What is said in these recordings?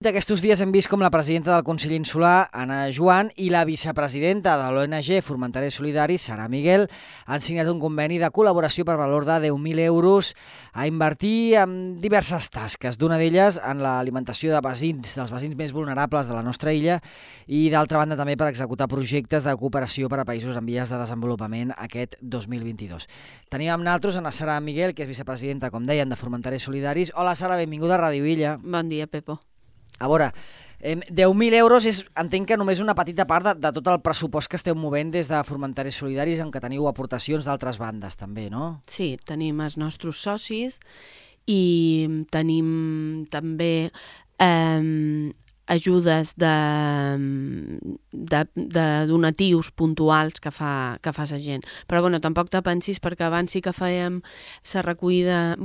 Aquests dies hem vist com la presidenta del Consell Insular, Anna Joan, i la vicepresidenta de l'ONG Formenters Solidaris, Sara Miguel, han signat un conveni de col·laboració per valor de 10.000 euros a invertir en diverses tasques, d'una d'elles en l'alimentació dels vecins més vulnerables de la nostra illa i d'altra banda també per executar projectes de cooperació per a països en vies de desenvolupament aquest 2022. Tenim amb nosaltres a Sara Miguel, que és vicepresidenta, com deien, de Formenters Solidaris. Hola Sara, benvinguda a Ràdio Illa. Bon dia, Pepo. A veure, 10.000 euros entenc que només una petita part de tot el pressupost que esteu movent des de Formenters Solidaris, en què teniu aportacions d'altres bandes també, no? Sí, tenim els nostres socis i tenim també ajudes de donatius puntuals que fa la gent. Però bueno, tampoc te pensis, perquè abans sí que fèiem la recollida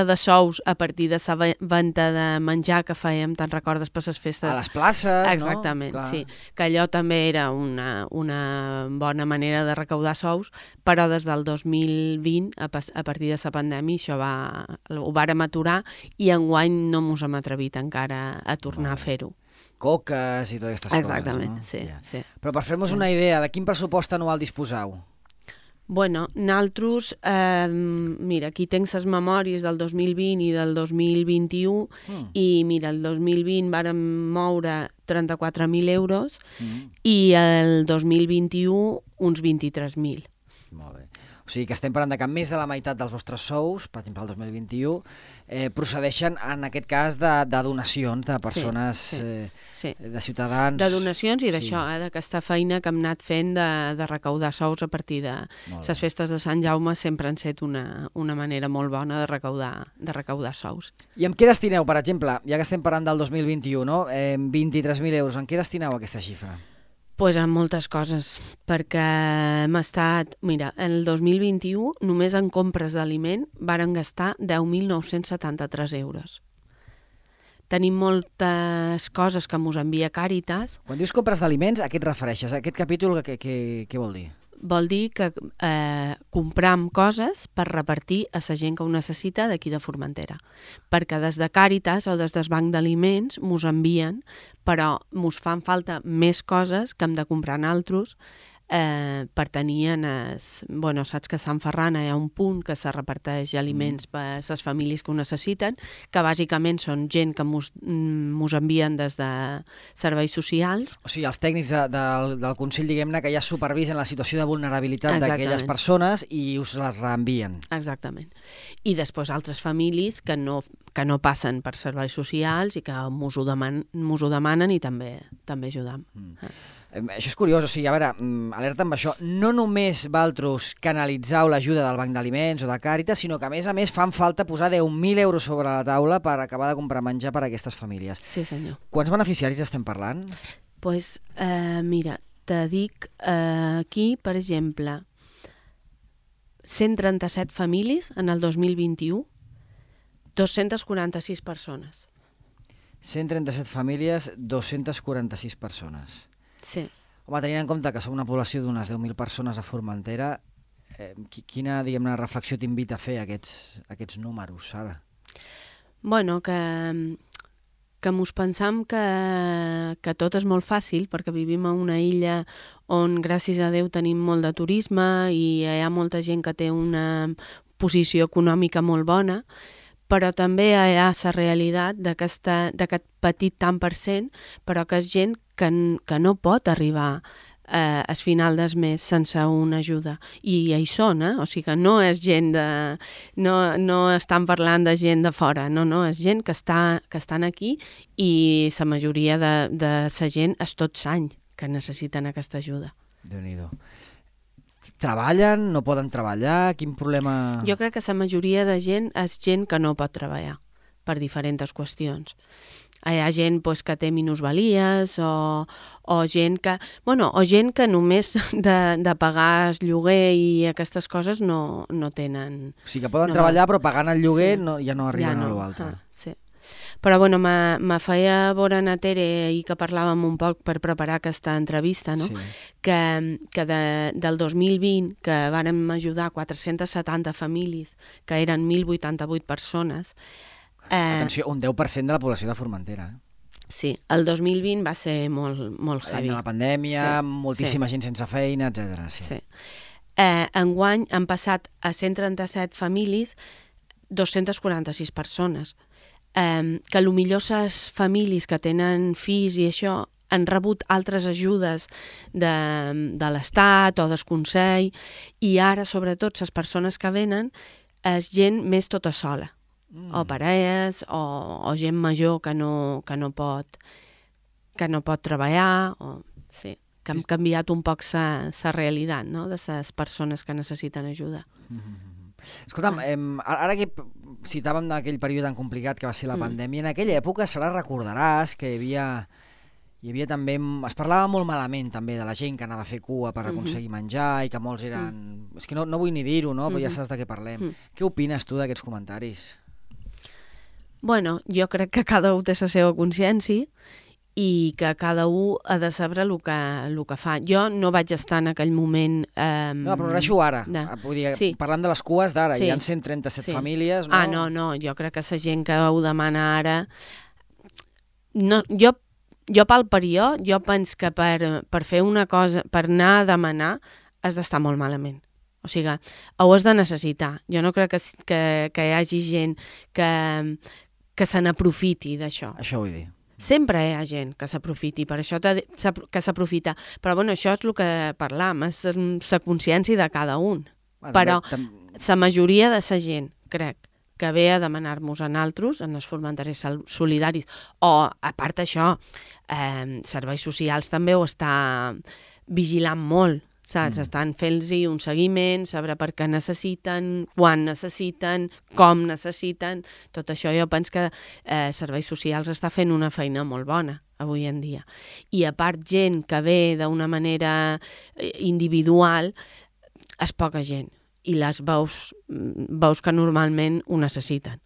de sous a partir de la venda de menjar que fèiem, te'n recordes, per les festes? A les places, exactament, no? Sí. Que allò també era una bona manera de recaudar sous, però des del 2020, a partir de la pandèmia, això ho vàrem aturar i enguany no mos hem atrevit encara a tornar a fer-ho. Coques i totes aquestes coses, no? Exactament, sí, sí. Però per fer-nos una idea, de quin pressupost anual disposeu? Bueno, nosaltres, mira, aquí tens les memòries del 2020 i del 2021 i mira, el 2020 vàrem moure 34.000 euros i el 2021 uns 23.000. Molt bé. O sigui que estem parlant que més de la meitat dels vostres sous, per exemple el 2021, procedeixen en aquest cas de donacions de persones, de ciutadans... De donacions i d'això, d'aquesta feina que hem anat fent de recaudar sous a partir de les festes de Sant Jaume, sempre han estat una manera molt bona de recaudar sous. I en què destineu, per exemple, ja que estem parlant del 2021, no? 23.000 euros, en què destineu aquesta xifra? Pues en moltes coses, perquè hem estat... Mira, en el 2021, només en compres d'aliment, varen gastar 10.973 euros. Tenim moltes coses que mos envia Càritas. Quan dius compres d'aliments, a què et refereixes? Aquest capítol què vol dir? Vol dir que compram coses per repartir a la gent que ho necessita d'aquí de Formentera. Perquè des de Càritas o des del banc d'aliments mos envien, però mos fan falta més coses que hem de comprar nosaltres per tenir bueno, saps que a Sant Ferran hi ha un punt que se reparteix aliments per les famílies que ho necessiten, que bàsicament són gent que mos envien des de serveis socials. O sigui, els tècnics del Consell, diguem-ne, que ja supervisen la situació de vulnerabilitat d'aquelles persones i us les reenvien. Exactament. I després altres famílies que no passen per serveis socials i que mos ho demanen i també ajudam. Això és curiós, o sigui, a veure, alerta amb això, no només vosaltres canalitzeu l'ajuda del Banc d'Aliments o de Càritas, sinó que a més fan falta posar 10.000 euros sobre la taula per acabar de comprar menjar per a aquestes famílies. Sí, senyor. Quants beneficiaris estem parlant? Doncs, mira, te dic aquí, per exemple, 137 famílies en el 2021, 246 persones. 137 famílies, 246 persones. Sí. Home, tenint en compte que som una població d'unes 10.000 persones a Formentera, quina, diguem-ne, reflexió t'invita a fer aquests números, Sara? Bueno, que mos pensam que tot és molt fàcil, perquè vivim a una illa on, gràcies a Déu, tenim molt de turisme i hi ha molta gent que té una posició econòmica molt bona, però també hi ha la realitat d'aquest petit tant per cent, però que és gent que no pot arribar al final del mes sense una ajuda. I hi són, O sigui que no és gent de... No estan parlant de gent de fora, no, és gent que estan aquí i la majoria de la gent és tot l'any que necessiten aquesta ajuda. Déu-n'hi-do. Treballen? No poden treballar? Quin problema... Jo crec que la majoria de gent és gent que no pot treballar per diferents qüestions. Hi ha gent que té minusvalies o gent que... o gent que només de pagar el lloguer i aquestes coses no tenen... O sigui que poden treballar però pagant el lloguer ja no arriben a l'altre. Sí. Però me feia veure na Tere ahir que parlàvem un poc per preparar aquesta entrevista, no? Sí. Que del 2020, que vàrem ajudar 470 famílies, que eren 1.088 persones, Atenció, un 10% de la població de Formentera. Sí, el 2020 va ser molt heavy. L'any de la pandèmia, moltíssima gent sense feina, etc. Sí. Enguany han passat a 137 famílies 246 persones. Que potser les famílies que tenen fills i això han rebut altres ajudes de l'Estat o del Consell, i ara, sobretot, les persones que venen és gent més tota sola, o parelles, o gent major que no pot treballar, sí, que han canviat un poc la realitat, no?, de les persones que necessiten ajuda. Escolta'm, ara que citàvem aquell període tan complicat que va ser la pandèmia, en aquella època se la recordaràs que hi havia també... Es parlava molt malament també de la gent que anava a fer cua per aconseguir menjar i que molts eren... És que no vull ni dir-ho, no? Però ja saps de què parlem. Què opines tu d'aquests comentaris? Bueno, jo crec que cada un té la seva consciència i que cada un ha de saber el que fa. Jo no vaig estar en aquell moment... No, però reixo ara. Vull dir, parlant de les cues d'ara, hi ha 137 famílies, no? No, jo crec que la gent que ho demana ara... No, jo pel període, jo penso que per fer una cosa, per anar a demanar, has d'estar molt malament. O sigui, ho has de necessitar. Jo no crec que hi hagi gent que se n'aprofiti d'això. Això vull dir. Sempre hi ha gent que s'aprofiti, per això que s'aprofita. Però bueno, això és el que parlam, és la consciència de cada un. Però la majoria de la gent, crec, que ve a demanar-nos a nosaltres, en els formenteres solidaris, o, a part d'això, serveis socials també ho està vigilant molt, saps? Estan fent-los un seguiment, saber per què necessiten, quan necessiten, com necessiten. Tot això jo penso que serveis socials està fent una feina molt bona avui en dia. I a part gent que ve d'una manera individual, és poca gent. I les veus que normalment ho necessiten.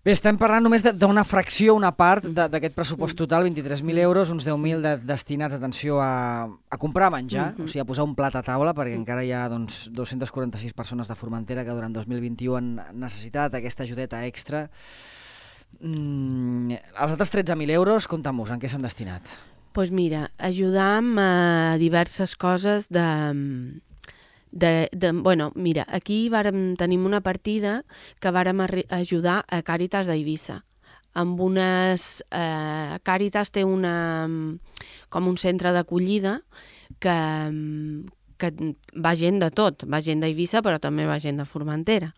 Bé, estem parlant només d'una fracció, una part d'aquest pressupost total, 23.000 euros, uns 10.000 destinats, atenció, a comprar menjar, o sigui, a posar un plat a taula, perquè encara hi ha 246 persones de Formentera que durant 2021 han necessitat aquesta ajudeta extra. Els altres 13.000 euros, compta-mos, en què s'han destinat? Doncs mira, ajudar amb diverses coses bueno, mira, aquí tenim una partida que vàrem ajudar a Càritas d'Eivissa. Amb unes... Càritas té com un centre d'acollida que va gent de tot, va gent d'Eivissa però també va gent de Formentera.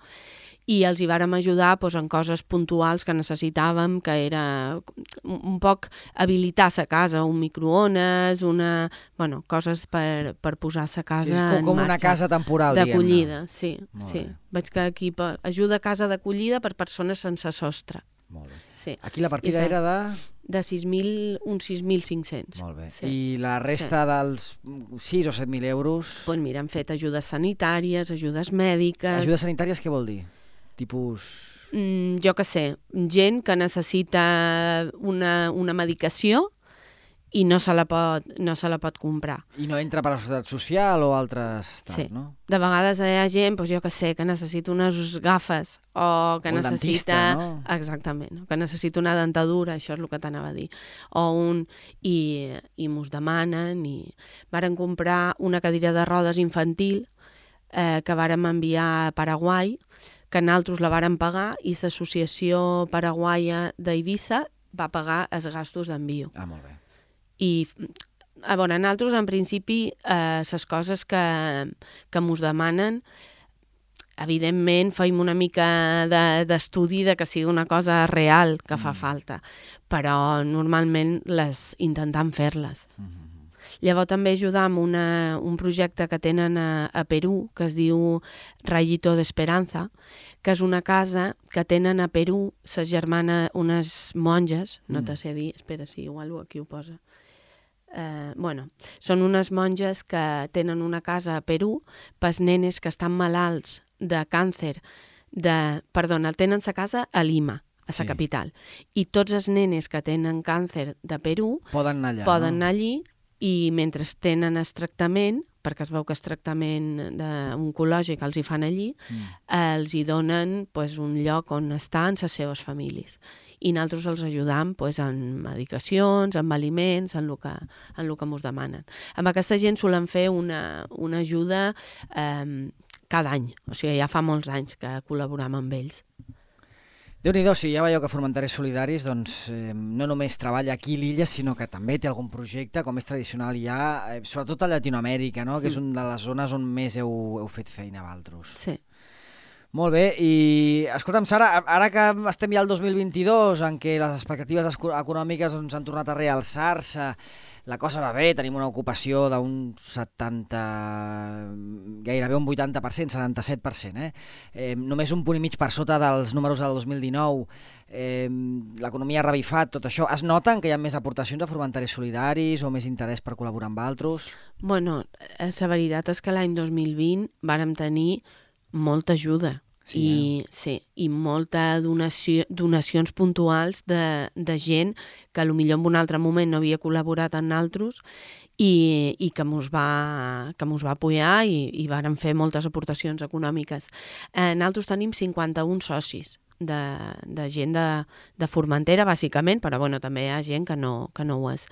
I els hi vàrem ajudar en coses puntuals que necessitàvem, que era un poc habilitar sa casa, un microones, coses per posar sa casa en marxa. Com una casa temporal, d'acollida, sí. Veig que aquí ajuda a casa d'acollida per persones sense sostre. Molt bé. Sí. Aquí la partida era de... De 6.500. Molt bé. Sí. I la resta dels 6 o 7.000 euros... Doncs mira, hem fet ajudes sanitàries, ajudes mèdiques... Ajudes sanitàries què vol dir? Tipus... Jo què sé, gent que necessita una medicació i no se la pot comprar. I no entra per la Seguretat Social o altres... Sí. No? De vegades hi ha gent, jo què sé, que necessita unes gafes o que necessita... Dentista, no? Exactament, que necessita una dentadura, això és el que t'anava a dir. I mos demanen i... Varen comprar una cadira de rodes infantil que vàrem enviar a Paraguai, que nosaltres la vàrem pagar i l'Associació Paraguaia d'Eivissa va pagar els gastos d'envio. Ah, molt bé. I nosaltres, en principi, les coses que mos demanen, evidentment, feim una mica d'estudi de que sigui una cosa real que fa falta, però normalment intentem fer-les. Llavors també ajudar amb un projecte que tenen a Perú, que es diu Rayito de Esperanza, que és una casa que tenen a Perú ses germanes, unes monges, no te sé dir, espera, si igual aquí ho posa. Són unes monges que tenen una casa a Perú pels nenes que estan malalts de càncer, tenen sa casa a Lima, a la capital, i tots els nenes que tenen càncer de Perú poden anar allà i mentre tenen el tractament perquè es veu que és tractament oncològic els hi fan allí, els hi donen un lloc on estar amb les seves famílies. I nosaltres els ajudam en medicacions, amb aliments, en el que ens demanen. Amb aquesta gent solen fer una ajuda cada any, o sigui, ja fa molts anys que col·laboram amb ells. Déu-n'hi-do, si ja veieu que Formenteres Solidaris no només treballa aquí a l'illa, sinó que també té algun projecte, com és tradicional ja, sobretot a Llatinoamèrica, no? Que és una de les zones on més heu fet feina vosaltres. Sí. Molt bé, i escolta'm, Sara, ara que estem ja al 2022, en què les expectatives econòmiques han tornat a realçar-se, la cosa va bé, tenim una ocupació d'un 70, gairebé un 80%, 77%, només un punt i mig per sota dels números del 2019, l'economia ha revifat, tot això. Es noten que hi ha més aportacions a Formenteres Solidaris o més interès per col·laborar amb altres? Bueno, la veritat és que l'any 2020 vàrem tenir molta ajuda i molta donacions puntuals de gent que potser en un altre moment no havia col·laborat amb nosaltres i que mos va apoyar i vàrem fer moltes aportacions econòmiques. Nosaltres tenim 51 socis de gent de Formentera, bàsicament, però també hi ha gent que no ho és.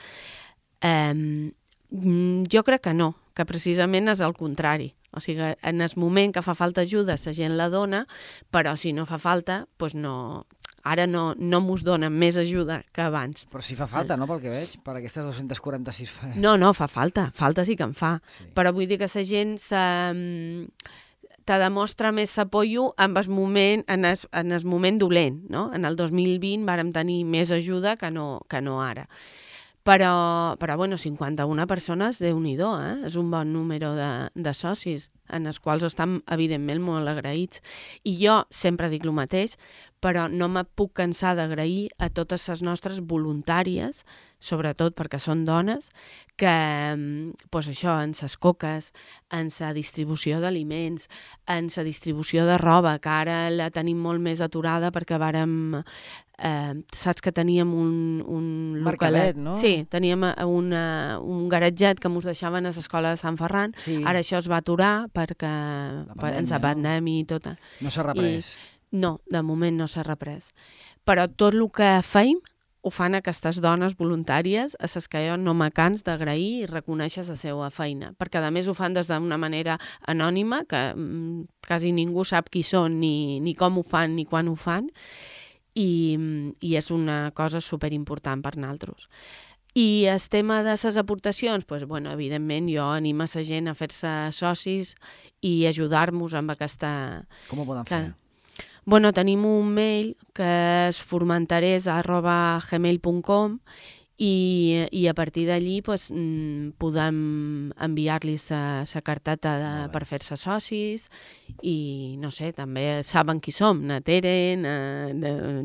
Jo crec que no, que precisament és el contrari. O sigui, en el moment que fa falta ajuda, la gent la dona, però si no fa falta, doncs no, ara no mos donen més ajuda que abans. Però sí fa falta, no?, pel que veig, per aquestes 246... No, fa falta sí que en fa. Sí. Però vull dir que la gent te demostra més apoyo en el moment dolent, no? En el 2020 vàrem tenir més ajuda que no ara. Però 51 persones, Déu-n'hi-do, és un bon número de socis, en els quals estan, evidentment, molt agraïts. I jo sempre dic el mateix, però no me puc cansar d'agrair a totes les nostres voluntàries, sobretot perquè són dones, que això, en les coques, en la distribució d'aliments, en la distribució de roba, que ara la tenim molt més aturada perquè vàrem... saps que teníem un mercadet, no? Sí, teníem un garatget que ens deixaven a l'escola de Sant Ferran. Sí. Ara això es va aturar perquè ens la pandèmia i tot. No s'ha reprès. No, de moment no s'ha reprès. Però tot el que feim ho fan aquestes dones voluntàries a les que jo no me cans d'agrair i reconèixer la seva feina, perquè a més ho fan des d'una manera anònima, que quasi ningú sap qui són, ni com ho fan, ni quan ho fan, i és una cosa superimportant per nosaltres. I el tema de les aportacions, evidentment jo animo a la gent a fer-se socis i ajudar-nos amb aquesta... Com ho poden fer? Tenim un mail que és formenteres@gmail.com i a partir d'allí podem enviar-li la carteta per fer-se socis i, no sé, també saben qui som, na Tere,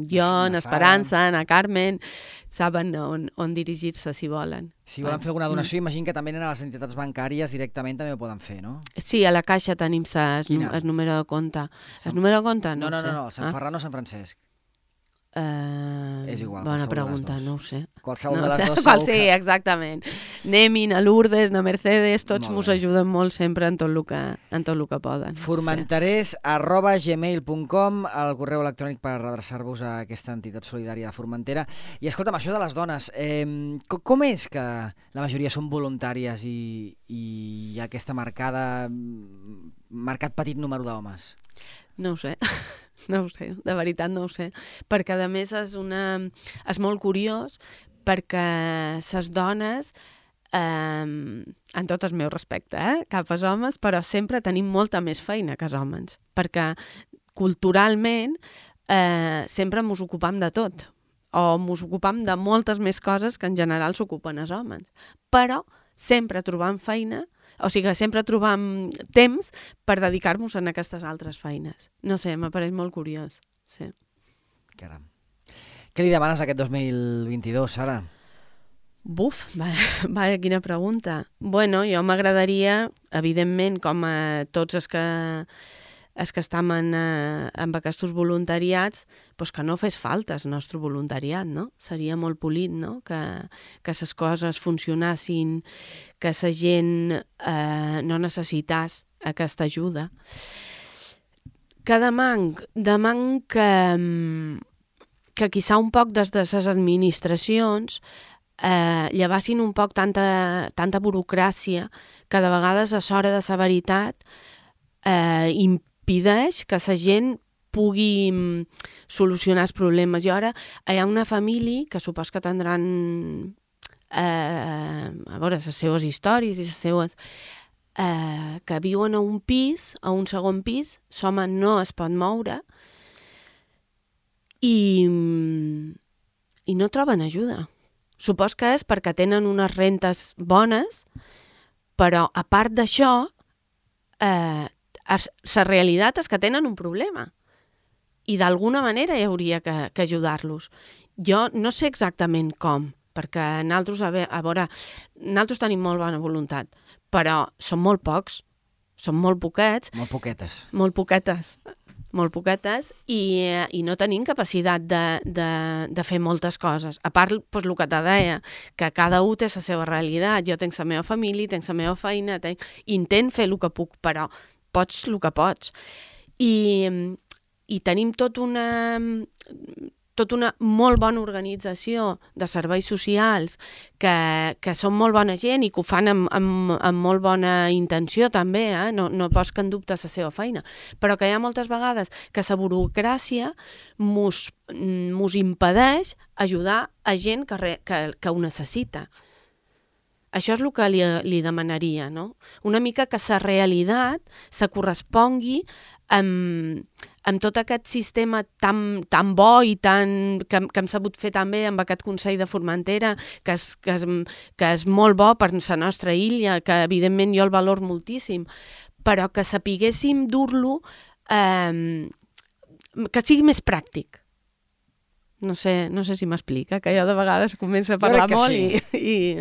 jo, na Esperança, na Carmen, saben on dirigir-se si volen. Si volen fer alguna donació, imagino que també a les entitats bancàries directament també ho poden fer, no? Sí, a la Caixa tenim el número de compte. El número de compte? No, Sant Ferran o Sant Francesc? És igual. Bona pregunta, no ho sé. Qualsevol de les dues. Sí, exactament. Nemin, a Lourdes, a Mercedes, tots mos ajuden molt sempre en tot el que poden. Formenteres@gmail.com, el correu electrònic per adreçar-vos a aquesta entitat solidària de Formentera. I escolta'm, això de les dones, com és que la majoria són voluntàries i hi ha aquesta marcat petit número d'homes? No ho sé. No ho sé, de veritat no ho sé, perquè a més és molt curiós perquè les dones, en tot el meu respecte, cap als homes, però sempre tenim molta més feina que els homes, perquè culturalment sempre ens ocupam de tot, o ens ocupam de moltes més coses que en general s'ocupen els homes, però sempre trobam feina. O sigui que sempre trobam temps per dedicar-nos a aquestes altres feines. No sé, m'apareix molt curiós. Sí. Caram. Què li demanes aquest 2022, Sara? Buf, vaya, quina pregunta. Jo m'agradaria, evidentment, com a tots els que els que estem en aquests voluntariats, doncs que no fes falta el nostre voluntariat, no? Seria molt polit, no? Que les coses funcionassin, que la gent no necessités aquesta ajuda. Que demanc que quizà un poc des de les administracions llevassin un poc tanta burocràcia que de vegades a l'hora de la veritat impedeix que la gent pugui solucionar els problemes. I ara hi ha una família que supos que tindran a veure les seves històries i les seves que viuen a un pis, a un segon pis, l'home no es pot moure i no troben ajuda. Supos que és perquè tenen unes rentes bones, però a part d'això, la realitat és que tenen un problema i d'alguna manera hi hauria que ajudar-los. Jo no sé exactament com, perquè nosaltres, nosaltres tenim molt bona voluntat, però són molt pocs, són molt poquets. Molt poquetes i no tenim capacitat de fer moltes coses. A part, doncs, el que te deia, que cada un té la seva realitat. Jo tinc la meva família, tinc la meva feina, intent fer el que puc, però pots el que pots. I tenim tota una molt bona organització de serveis socials que són molt bona gent i que ho fan amb molt bona intenció també, no pots que en dubte la seva feina, però que hi ha moltes vegades que la burocràcia mos impedeix ajudar a gent que ho necessita. Això és el que li demanaria, no? Una mica que la realitat se correspongui amb tot aquest sistema tan bo i que hem sabut fer també amb aquest Consell de Formentera, que és molt bo per la nostra illa, que evidentment jo el valor moltíssim, però que sapiguéssim dur-lo, que sigui més pràctic. No sé si m'explica, que jo de vegades començo a parlar molt i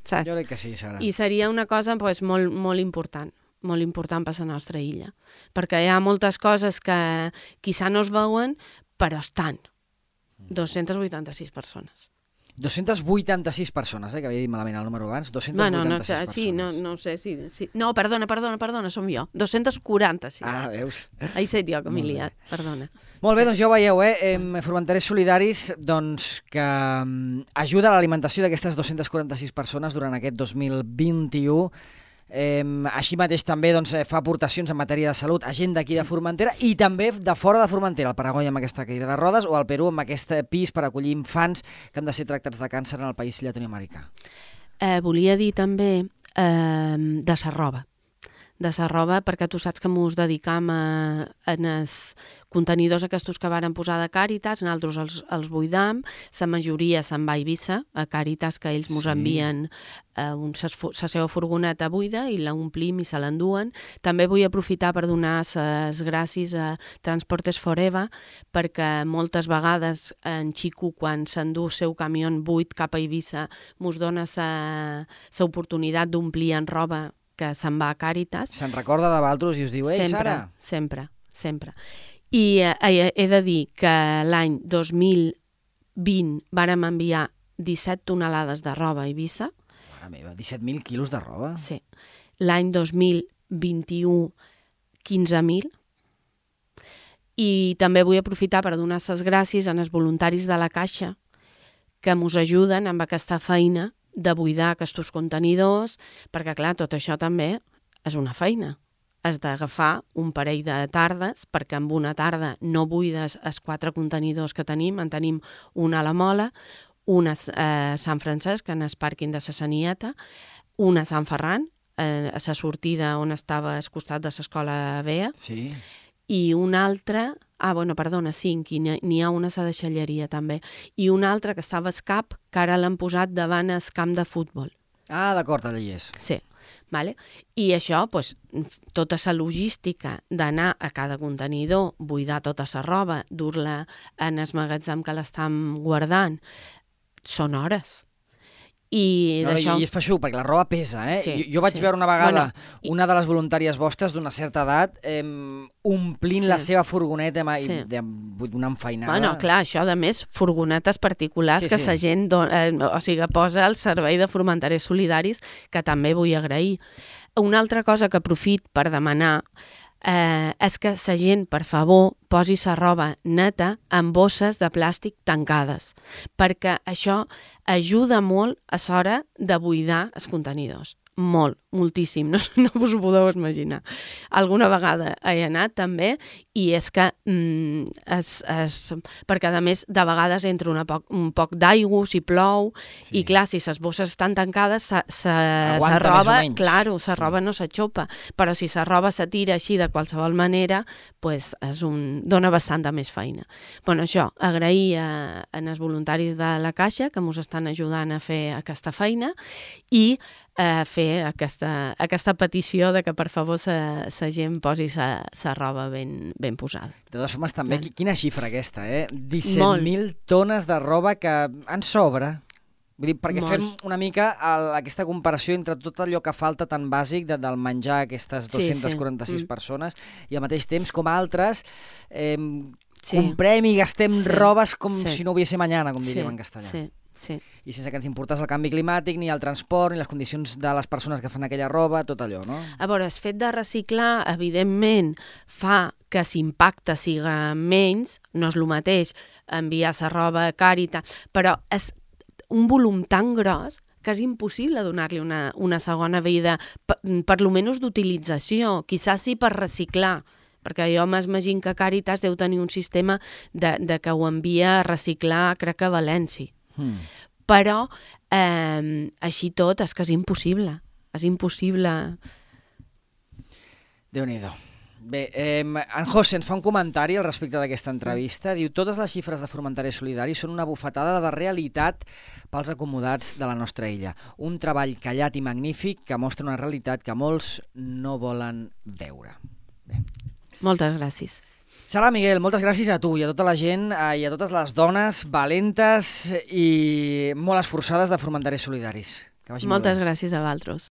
saps? Jo crec que sí, Sara. I seria una cosa molt important per la nostra illa, perquè hi ha moltes coses que quizà no es veuen, però estan. 286 persones. 286 persones, que havia dit malament el número abans. 286 persones. Sí, no sé si... No, perdona, som jo. 246. Ah, veus? He set jo que m'he liat, perdona. Molt bé, doncs ja ho veieu, Formenterers Solidaris, doncs, que ajuda a l'alimentació d'aquestes 246 persones durant aquest 2021. Així mateix també fa aportacions en matèria de salut a gent d'aquí de Formentera i també de fora de Formentera, al Paraguai amb aquesta cadira de rodes o al Perú amb aquest pis per acollir infants que han de ser tractats de càncer en el país llatinoamericà. Volia dir també de la roba, perquè tu saps que mos dedicam en els contenidors aquests que varen posar de Càritas, nosaltres els buidam, la majoria se'n va a Eivissa, a Càritas, que ells mos envien la seva furgoneta buida i l'omplim i se l'enduen. També vull aprofitar per donar les gràcies a Transportes Forever, perquè moltes vegades en Xico, quan s'endú el seu camió buit cap a Eivissa, mos dona l'oportunitat d'omplir en roba que se'n va a Càritas. Se'n recorda de vosaltres i us diu, ei, Sara! Sempre. I he de dir que l'any 2020 vàrem enviar 17 tonelades de roba a Eivissa. Mare meva, 17.000 quilos de roba? Sí. L'any 2021, 15.000. I també vull aprofitar per donar les gràcies als voluntaris de la Caixa que mos ajuden amb aquesta feina de buidar aquests contenidors, perquè, clar, tot això també és una feina. Has d'agafar un parell de tardes, perquè en una tarda no buides els 4 contenidors que tenim, en tenim una a la Mola, una a Sant Francesc, en el pàrquing de la Sanieta, una a Sant Ferran, a la sortida on estava al costat de l'escola Bea, sí. I una altra, 5, i n'hi ha una a la deixalleria també, i una altra que estava al CAP, que ara l'han posat davant el camp de futbol. Ah, d'acord, allà hi és. Sí, vale? I això, tota la logística d'anar a cada contenidor, buidar tota la roba, dur-la en el magatzem que l'estan guardant, són hores. I d'això... I és feixuc, perquè la roba pesa, eh? Sí, jo vaig veure una vegada una de les voluntàries vostres d'una certa edat omplint la seva furgoneta d'una enfeinada. Bueno, clar, això, a més, furgonetes particulars que la gent posa al servei de Formenterers Solidaris, que també vull agrair. Una altra cosa que aprofit per demanar és que la gent, per favor, posi la roba neta en bosses de plàstic tancades, perquè això ajuda molt a l'hora de buidar els contenidors. Molt, moltíssim, no us ho podeu imaginar. Alguna vegada he anat també i és que perquè a més de vegades entra un poc d'aigua si plou i clar, si les bosses estan tancades la roba no s'aixopa, però si la roba se tira així de qualsevol manera dona bastant més feina. Bueno, això, agrair als voluntaris de la Caixa que ens estan ajudant a fer aquesta feina i fer aquesta petició de que per favor la gent posi la roba ben posada. De totes formes, també, quina xifra aquesta, 17.000 tones de roba que en sobra. Vull dir, perquè fem una mica aquesta comparació entre tot allò que falta tan bàsic del menjar a aquestes 246 persones i al mateix temps com altres comprem i gastem robes com si no hubiese mañana, com diríem en castellà. Sí. I sense que ens importés el canvi climàtic, ni el transport, ni les condicions de les persones que fan aquella roba, tot allò, no? A veure, el fet de reciclar, evidentment, fa que l'impacte siga menys, no és el mateix enviar la roba a Càritas, però és un volum tan gros que és impossible donar-li una segona vida, per lo menys d'utilització, quizás sí per reciclar, perquè jo m'imagino que Càritas deu tenir un sistema de que ho envia a reciclar, crec que a València. Però així tot és que és impossible. Déu-n'hi-do. Bé, en José ens fa un comentari al respecte d'aquesta entrevista. Diu, totes les xifres de Formenterers Solidaris són una bufetada de realitat pels acomodats de la nostra illa. Un treball callat i magnífic que mostra una realitat que molts no volen veure. Bé. Moltes gràcies. Sara Miguel, moltes gràcies a tu i a tota la gent i a totes les dones valentes i molt esforçades de Formenterers Solidaris. Moltes gràcies a vosaltres.